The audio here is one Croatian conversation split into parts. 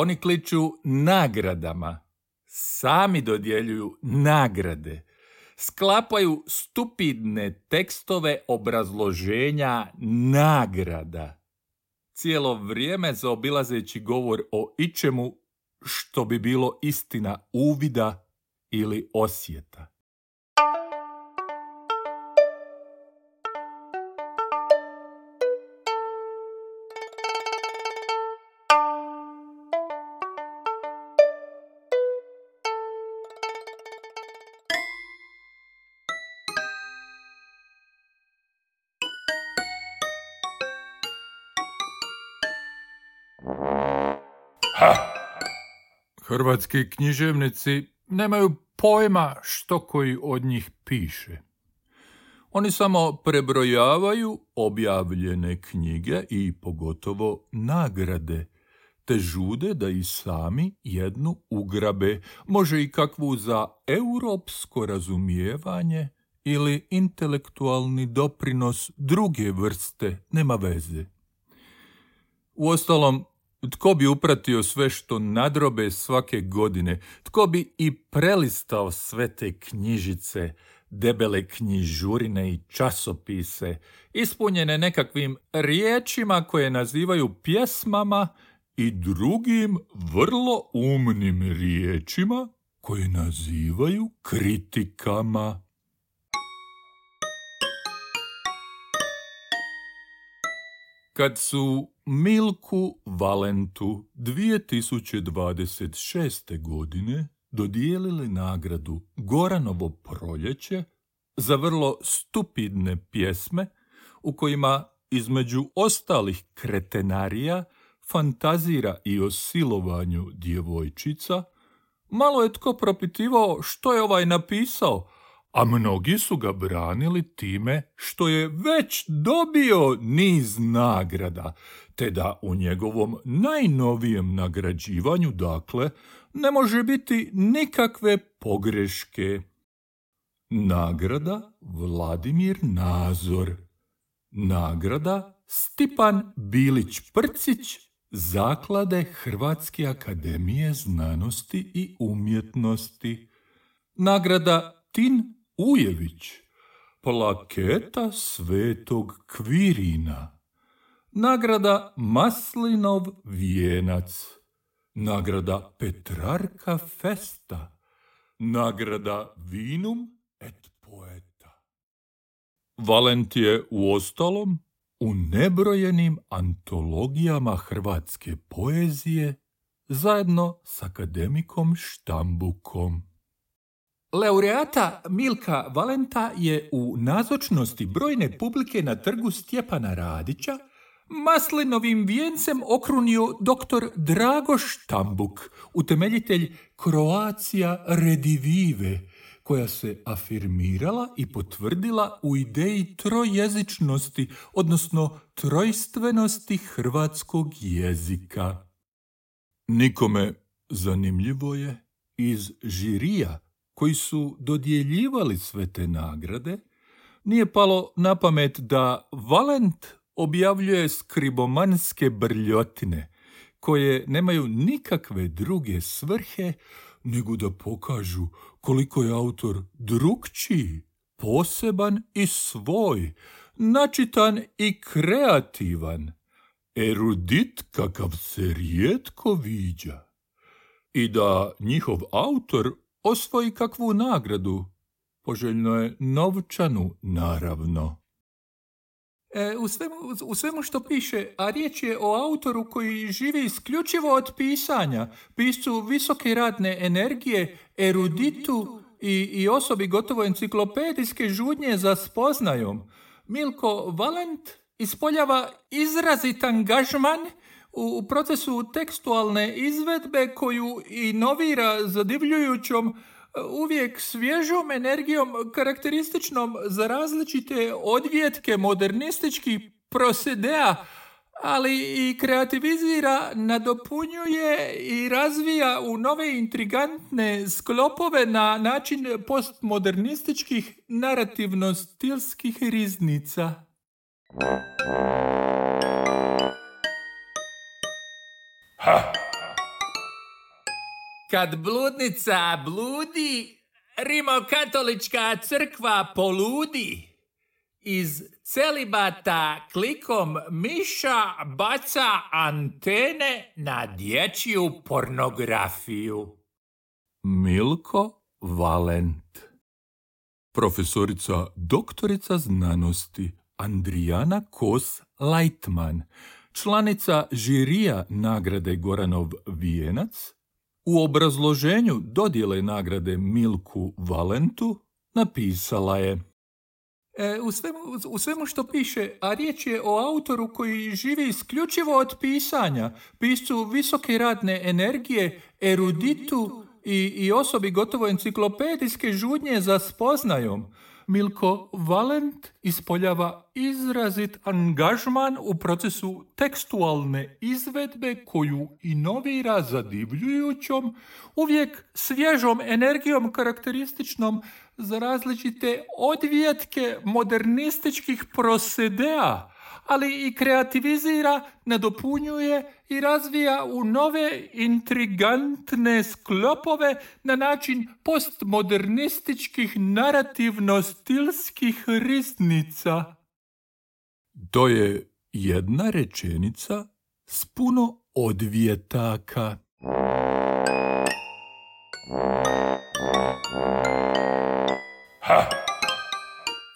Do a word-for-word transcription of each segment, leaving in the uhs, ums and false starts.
Oni kliču nagradama. Sami dodjeljuju nagrade. Sklapaju stupidne tekstove obrazloženja nagrada. Cijelo vrijeme zaobilazeći govor o ičemu što bi bilo istina uvida ili osjeta. Ha! Hrvatski književnici nemaju pojma što koji od njih piše. Oni samo prebrojavaju objavljene knjige i pogotovo nagrade, te žude da i sami jednu ugrabe, može i kakvu za europsko razumijevanje ili intelektualni doprinos druge vrste, nema veze. Uostalom, tko bi upratio sve što nadrobe svake godine? Tko bi i prelistao sve te knjižice, debele knjižurine i časopise, ispunjene nekakvim riječima koje nazivaju pjesmama i drugim vrlo umnim riječima koje nazivaju kritikama? Kad su Milku Valentu dvije tisuće dvadeset šeste. godine dodijelili nagradu Goranovo proljeće za vrlo stupidne pjesme u kojima između ostalih kretenarija fantazira i o silovanju djevojčica, malo je tko propitivao što je ovaj napisao, a mnogi su ga branili time što je već dobio niz nagrada, te da u njegovom najnovijem nagrađivanju, dakle, ne može biti nikakve pogreške. Nagrada Vladimir Nazor. Nagrada Stipan Bilić-Prcić, Zaklade Hrvatske akademije znanosti i umjetnosti. Nagrada Tin Ujević, plaketa Svetog Kvirina. Nagrada Maslinov vijenac. Nagrada Petrarka Festa. Nagrada Vinum et Poeta. Valent je uostalom u nebrojenim antologijama hrvatske poezije zajedno s akademikom Štambukom. Laureata Milka Valenta je u nazočnosti brojne publike na trgu Stjepana Radića maslinovim vijencem okrunio doktor Drago Štambuk, utemeljitelj Croatia Redivive, koja se afirmirala i potvrdila u ideji trojezičnosti, odnosno trojstvenosti hrvatskog jezika. Nikome, zanimljivo je, iz žirija koji su dodjeljivali sve te nagrade, nije palo na pamet da Valent objavljuje skribomanske brljotine, koje nemaju nikakve druge svrhe nego da pokažu koliko je autor drukčiji, poseban i svoj, načitan i kreativan, erudit kakav se rijetko viđa. I da njihov autor osvoji kakvu nagradu, poželjno je novčanu, naravno. E, u, svemu, u svemu što piše, a riječ je o autoru koji živi isključivo od pisanja, piscu visoke radne energije, eruditu i, i osobi gotovo enciklopedijske žudnje za spoznajom, Milko Valent ispoljava izrazit angažman u, u procesu tekstualne izvedbe koju inovira zadivljujućom, uvijek svježom energijom karakterističnom za različite odvjetke modernističkih prosedea, ali i kreativizira, nadopunjuje i razvija u nove intrigantne sklopove na način postmodernističkih narativno-stilskih riznica. Ha! Kad bludnica bludi, rimokatolička crkva poludi. Iz celibata klikom miša baca antene na dječju pornografiju. Milko Valent. Profesorica doktorica znanosti Andrijana Kos-Lajtman, članica žirija nagrade Goranov vijenac, u obrazloženju dodjele nagrade Milku Valentu napisala je: E, u, svemu, u svemu što piše, a riječ je o autoru koji živi isključivo od pisanja, piscu visoke radne energije, eruditu i, i osobi gotovo enciklopedijske žudnje za spoznajom, Milko Valent ispoljava izrazit angažman u procesu tekstualne izvedbe koju inovira zadivljujućom, uvijek svježom energijom karakterističnom za različite odvjetke modernističkih prosedea, ali i kreativizira, nadopunjuje i razvija u nove intrigantne sklopove na način postmodernističkih narativno-stilskih riznica. To je jedna rečenica s puno odvjetaka. Ha!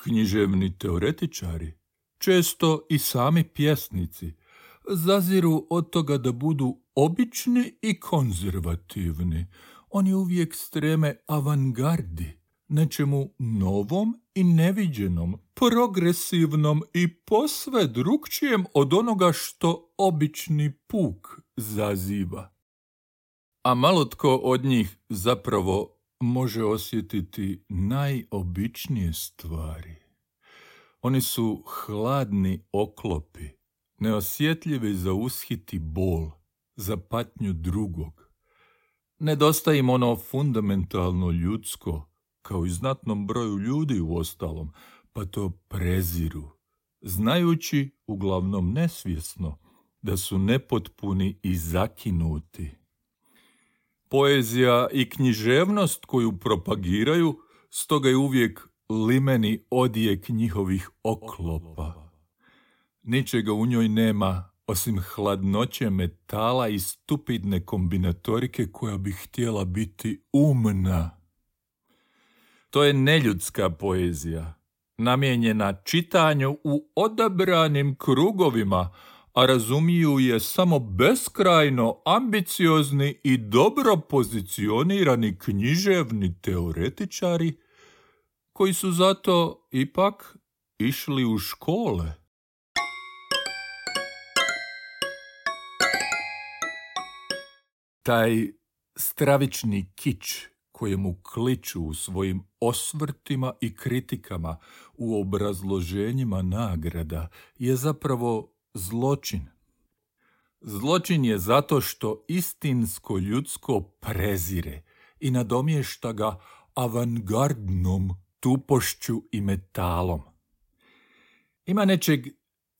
Književni teoretičari, često i sami pjesnici, zaziru od toga da budu obični i konzervativni. Oni uvijek streme avangardi, nečemu novom i neviđenom, progresivnom i posve drukčijem od onoga što obični puk zaziva. A malo tko od njih zapravo može osjetiti najobičnije stvari. Oni su hladni oklopi, neosjetljivi za ushiti bol, za patnju drugog. Nedostaje im ono fundamentalno ljudsko, kao i znatnom broju ljudi uostalom, pa to preziru, znajući, uglavnom nesvjesno, da su nepotpuni i zakinuti. Poezija i književnost koju propagiraju, stoga je uvijek limeni odjek njihovih oklopa. Ničega u njoj nema osim hladnoće metala i stupidne kombinatorike koja bi htjela biti umna. To je neljudska poezija, namijenjena čitanju u odabranim krugovima, a razumiju je samo beskrajno ambiciozni i dobro pozicionirani književni teoretičari koji su zato ipak išli u škole. Taj stravični kič kojemu kliču u svojim osvrtima i kritikama u obrazloženjima nagrada je zapravo zločin. Zločin je zato što istinsko ljudsko prezire i nadomješta ga avangardnom tupošću i metalom. Ima nečeg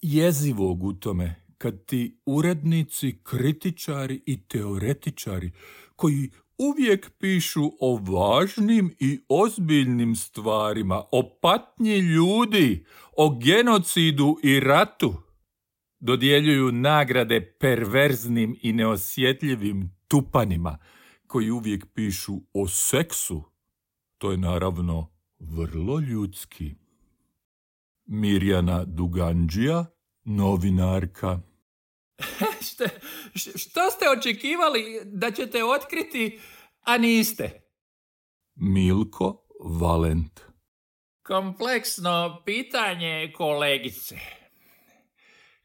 jezivog u tome kad ti urednici, kritičari i teoretičari koji uvijek pišu o važnim i ozbiljnim stvarima, o patnji ljudi, o genocidu i ratu, dodjeljuju nagrade perverznim i neosjetljivim tupanima koji uvijek pišu o seksu. To je naravno vrlo ljudski. Mirjana Duganđija, novinarka. Što, što ste očekivali da ćete otkriti, a niste? Milko Valent. Kompleksno pitanje, kolegice.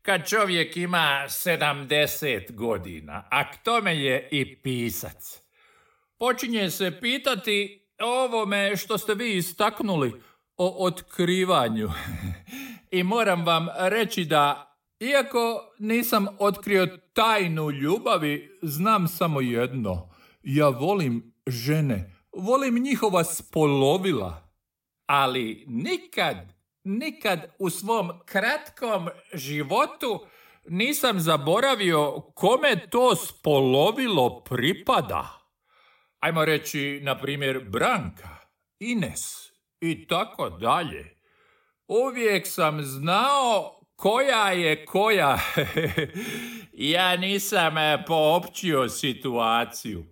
Kad čovjek ima sedamdeset godina, a k tome je i pisac, počinje se pitati o ovome što ste vi istaknuli, o otkrivanju. I moram vam reći da, iako nisam otkrio tajnu ljubavi, znam samo jedno. Ja volim žene, volim njihova spolovila, ali nikad, nikad u svom kratkom životu nisam zaboravio kome to spolovilo pripada. Ajmo reći, na primjer, Branka, Ines i tako dalje. Uvijek sam znao koja je koja. Ja nisam poopćio situaciju.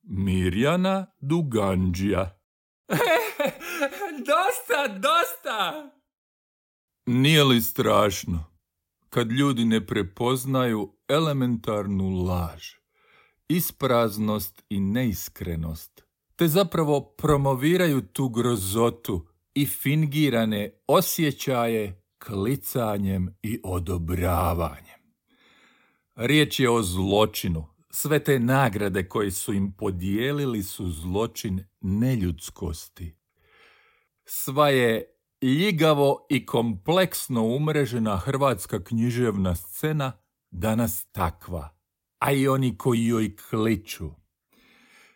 Mirjana Duganđija. Dosta, dosta! Nije li strašno kad ljudi ne prepoznaju elementarnu laž, ispraznost i neiskrenost, te zapravo promoviraju tu grozotu i fingirane osjećaje klicanjem i odobravanjem. Riječ je o zločinu. Sve te nagrade koje su im podijelili su zločin neljudskosti. Sva je ljigavo i kompleksno umrežena hrvatska književna scena danas takva, a i oni koji joj kliču.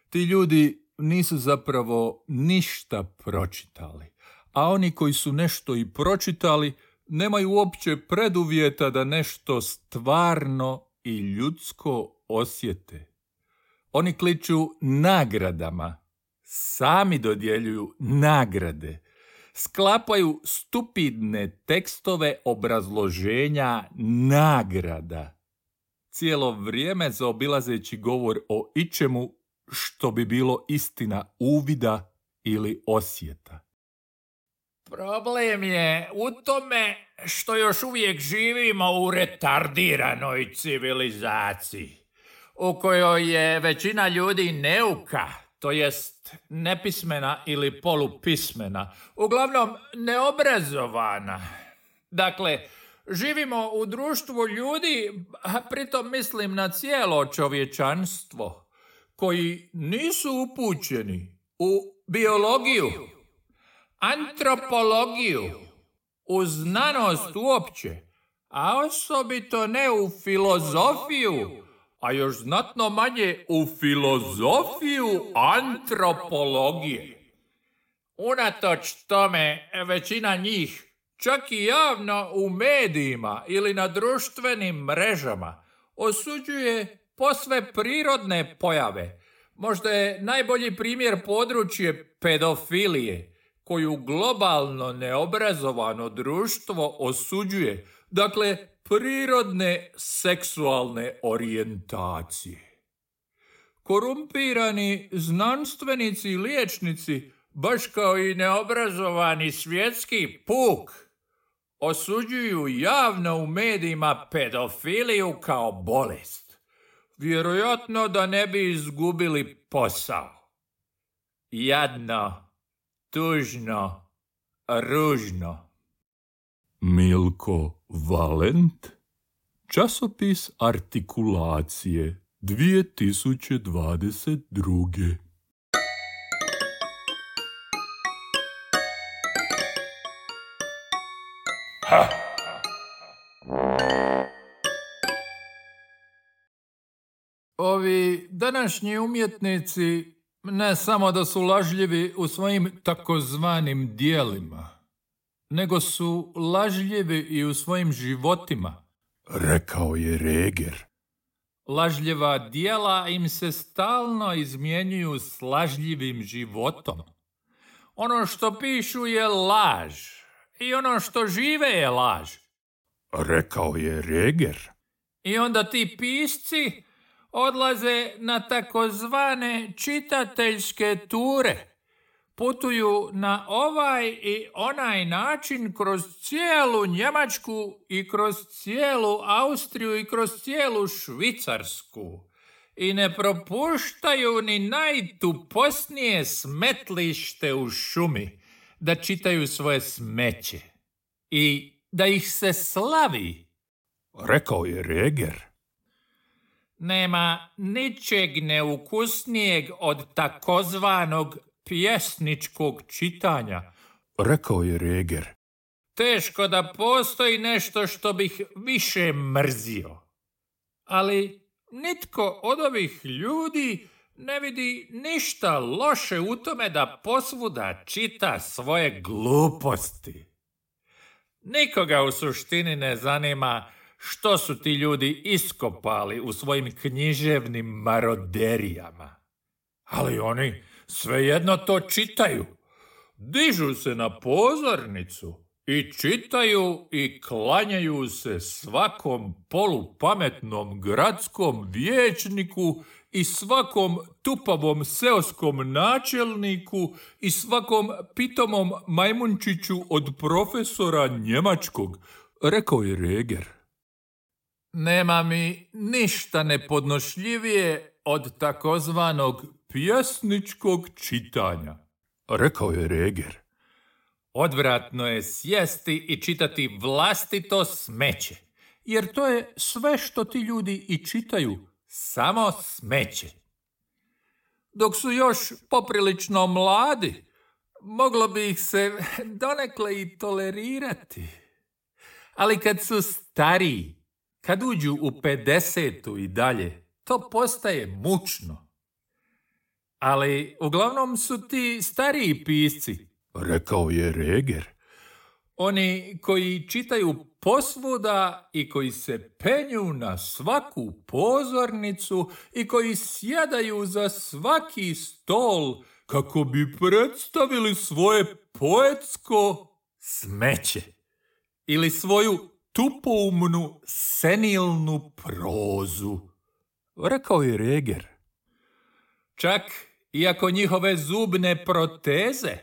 Ti ljudi nisu zapravo ništa pročitali, a oni koji su nešto i pročitali nemaju uopće preduvjeta da nešto stvarno i ljudsko osjete. Oni kliču nagradama, sami dodjeljuju nagrade, sklapaju stupidne tekstove obrazloženja nagrada, cijelo vrijeme zaobilazeći govor o ičemu što bi bilo istina uvida ili osjeta. Problem je u tome što još uvijek živimo u retardiranoj civilizaciji, u kojoj je većina ljudi neuka, to jest nepismena ili polupismena, uglavnom neobrazovana. Dakle, živimo u društvu ljudi, a pritom mislim na cijelo čovječanstvo, koji nisu upućeni u biologiju, antropologiju, u znanost uopće, a osobito ne u filozofiju, a još znatno manje u filozofiju antropologije. Unatoč tome, većina njih, čak i javno u medijima ili na društvenim mrežama, osuđuje posve prirodne pojave. Možda je najbolji primjer područje pedofilije, koju globalno neobrazovano društvo osuđuje, dakle, prirodne seksualne orijentacije. Korumpirani znanstvenici i liječnici, baš kao i neobrazovani svjetski puk, osuđuju javno u medijima pedofiliju kao bolest, vjerojatno da ne bi izgubili posao. Jadno, tužno, ružno. Milko Valent, časopis Artikulacije, dvije tisuće dvadeset druge. Ha! Ovi današnji umjetnici ne samo da su lažljivi u svojim takozvanim dijelima, nego su lažljivi i u svojim životima, rekao je Reger. Lažljiva dijela im se stalno izmjenjuju s lažljivim životom. Ono što pišu je laž i ono što žive je laž, rekao je Reger. I onda ti pisci odlaze na takozvane čitateljske ture. Putuju na ovaj i onaj način kroz cijelu Njemačku i kroz cijelu Austriju i kroz cijelu Švicarsku. I ne propuštaju ni najtuposnije smetlište u šumi da čitaju svoje smeće. I da ih se slavi, rekao je Reger. Nema ničeg neukusnijeg od takozvanog pjesničkog čitanja, rekao je Reger. Teško da postoji nešto što bih više mrzio. Ali nitko od ovih ljudi ne vidi ništa loše u tome da posvuda čita svoje gluposti. Nikoga u suštini ne zanima što su ti ljudi iskopali u svojim književnim maroderijama. ali oni svejedno to čitaju. Dižu se na pozornicu i čitaju i klanjaju se svakom polupametnom gradskom vijećniku i svakom tupavom seoskom načelniku i svakom pitomom majmunčiću od profesora njemačkog, rekao je Reger. Nema mi ništa nepodnošljivije od takozvanog pjesničkog čitanja, rekao je Reger. Odvratno je sjesti i čitati vlastito smeće, jer to je sve što ti ljudi i čitaju, samo smeće. Dok su još poprilično mladi, moglo bi ih se donekle i tolerirati. Ali kad su stariji, kad uđu u pedesetu i dalje, to postaje mučno. Ali uglavnom su ti stariji pisci, rekao je Reger. Oni koji čitaju posvuda i koji se penju na svaku pozornicu i koji sjedaju za svaki stol kako bi predstavili svoje poetsko smeće ili svoju tupoumnu senilnu prozu, rekao je Reger. Čak iako njihove zubne proteze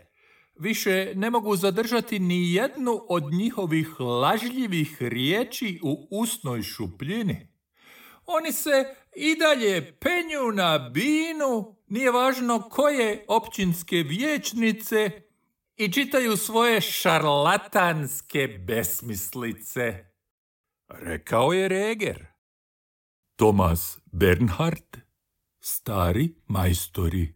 više ne mogu zadržati ni jednu od njihovih lažljivih riječi u usnoj šupljini. Oni se i dalje penju na binu, nije važno koje općinske vijećnice, i čitaju svoje šarlatanske besmislice, rekao je Reger. Thomas Bernhard, stari majstori.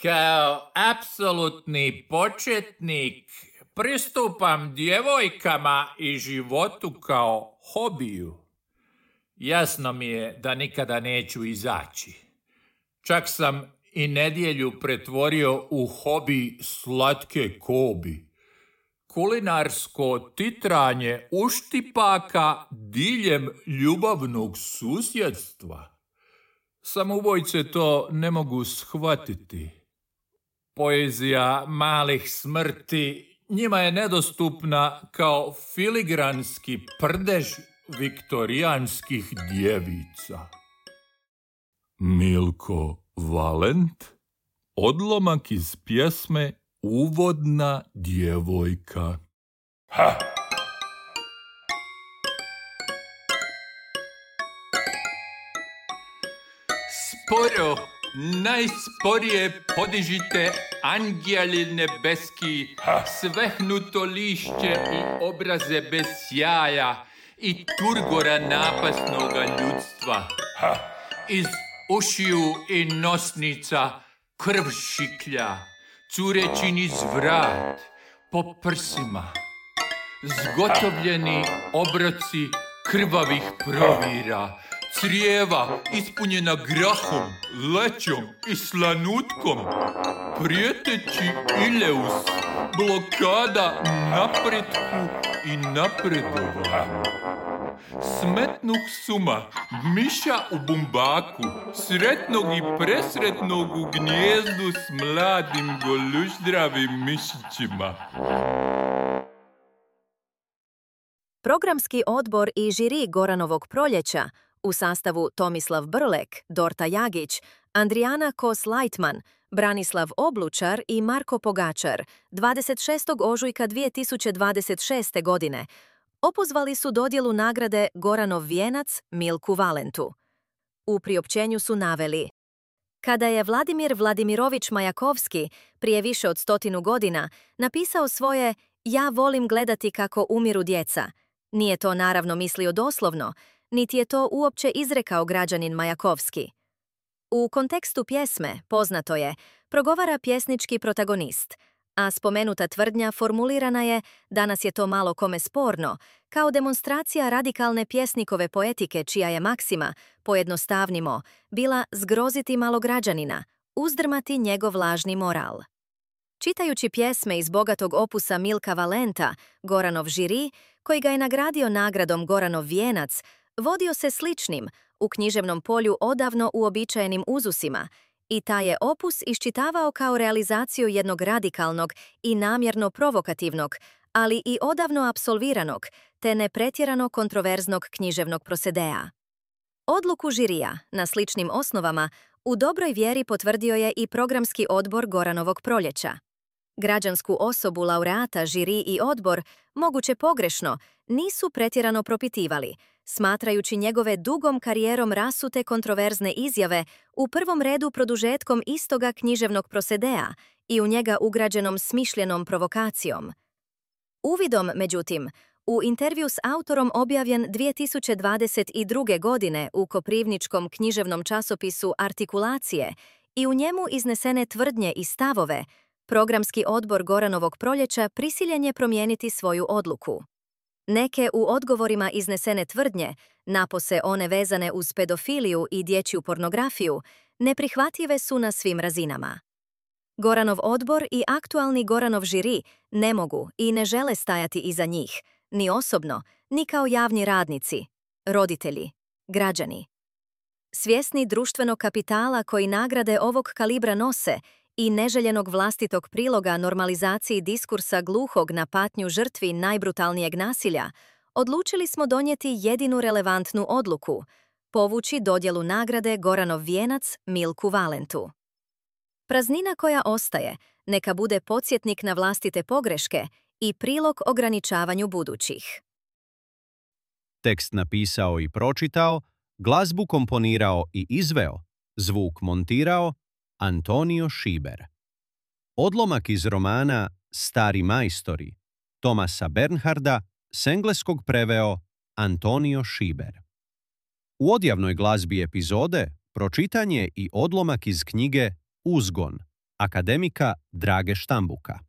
Kao apsolutni početnik pristupam djevojkama i životu kao hobiju. Jasno mi je da nikada neću izaći. Čak sam i nedjelju pretvorio u hobi slatke kobi. Kulinarsko titranje uštipaka diljem ljubavnog susjedstva. Samoubojce to ne mogu shvatiti. Poezija malih smrti njima je nedostupna kao filigranski prdež viktorijanskih djevica. Milko Valent, odlomak iz pjesme Uvodna djevojka. Ha! Sporo, najsporije podižite anđeli nebeski, svehnuto lišće i obraze bez sjaja i turgora napasnoga ljudstva. Iz ušiju i nosnica krv šiklja, cureći niz vrat, po prsima. Zgotovljeni obroci krvavih provira, crijeva ispunjena grahom, lećom i slanutkom, prijeteći ileus, blokada napretku i napredovanju. Smetnuh suma, miša u bumbaku, sretnog i presretnog u gnjezdu s mladim goluždravim mišićima. Programski odbor i žiri Goranovog proljeća u sastavu Tomislav Brlek, Dorta Jagić, Andrijana Kos-Lajtman, Branislav Oblučar i Marko Pogačar dvadeset šestog ožujka dvije tisuće dvadeset šeste. godine opozvali su dodjelu nagrade Goranov vijenac Milku Valentu. U priopćenju su naveli: kada je Vladimir Vladimirović Majakovski prije više od stotinu godina napisao svoje "Ja volim gledati kako umiru djeca", nije to naravno mislio doslovno, niti je to uopće izrekao građanin Majakovski. U kontekstu pjesme, poznato je, progovara pjesnički protagonist, a spomenuta tvrdnja formulirana je, danas je to malo kome sporno, kao demonstracija radikalne pjesnikove poetike čija je maksima, pojednostavnimo, bila zgroziti malograđanina, uzdrmati njegov lažni moral. Čitajući pjesme iz bogatog opusa Milka Valenta, Goranov žiri, koji ga je nagradio nagradom Goranov vijenac, vodio se sličnim, u književnom polju odavno uobičajenim uzusima i taj je opus iščitavao kao realizaciju jednog radikalnog i namjerno provokativnog, ali i odavno apsolviranog, te ne pretjerano kontroverznog književnog prosedea. Odluku žirija, na sličnim osnovama, u dobroj vjeri potvrdio je i programski odbor Goranovog proljeća. Građansku osobu laureata žiri i odbor, moguće pogrešno, nisu pretjerano propitivali, smatrajući njegove dugom karijerom rasute kontroverzne izjave u prvom redu produžetkom istoga književnog prosedea i u njega ugrađenom smišljenom provokacijom. Uvidom, međutim, u intervju s autorom objavljen dvije tisuće dvadeset druge. godine u koprivničkom književnom časopisu Artikulacije i u njemu iznesene tvrdnje i stavove, programski odbor Goranovog proljeća prisiljen je promijeniti svoju odluku. Neke u odgovorima iznesene tvrdnje, napose one vezane uz pedofiliju i dječju pornografiju, neprihvatljive su na svim razinama. Goranov odbor i aktualni Goranov žiri ne mogu i ne žele stajati iza njih, ni osobno, ni kao javni radnici, roditelji, građani. Svjesni društvenog kapitala koji nagrade ovog kalibra nose i neželjenog vlastitog priloga normalizaciji diskursa gluhog na patnju žrtvi najbrutalnijeg nasilja, odlučili smo donijeti jedinu relevantnu odluku, povući dodjelu nagrade Goranov vijenac Milku Valentu. Praznina koja ostaje neka bude podsjetnik na vlastite pogreške i prilog ograničavanju budućih. Tekst napisao i pročitao, glazbu komponirao i izveo, zvuk montirao Antonio Šiber. Odlomak iz romana Stari majstori Tomasa Bernharda s engleskog preveo Antonio Šiber. U odjavnoj glazbi epizode pročitan je i odlomak iz knjige Uzgon akademika Drage Štambuka.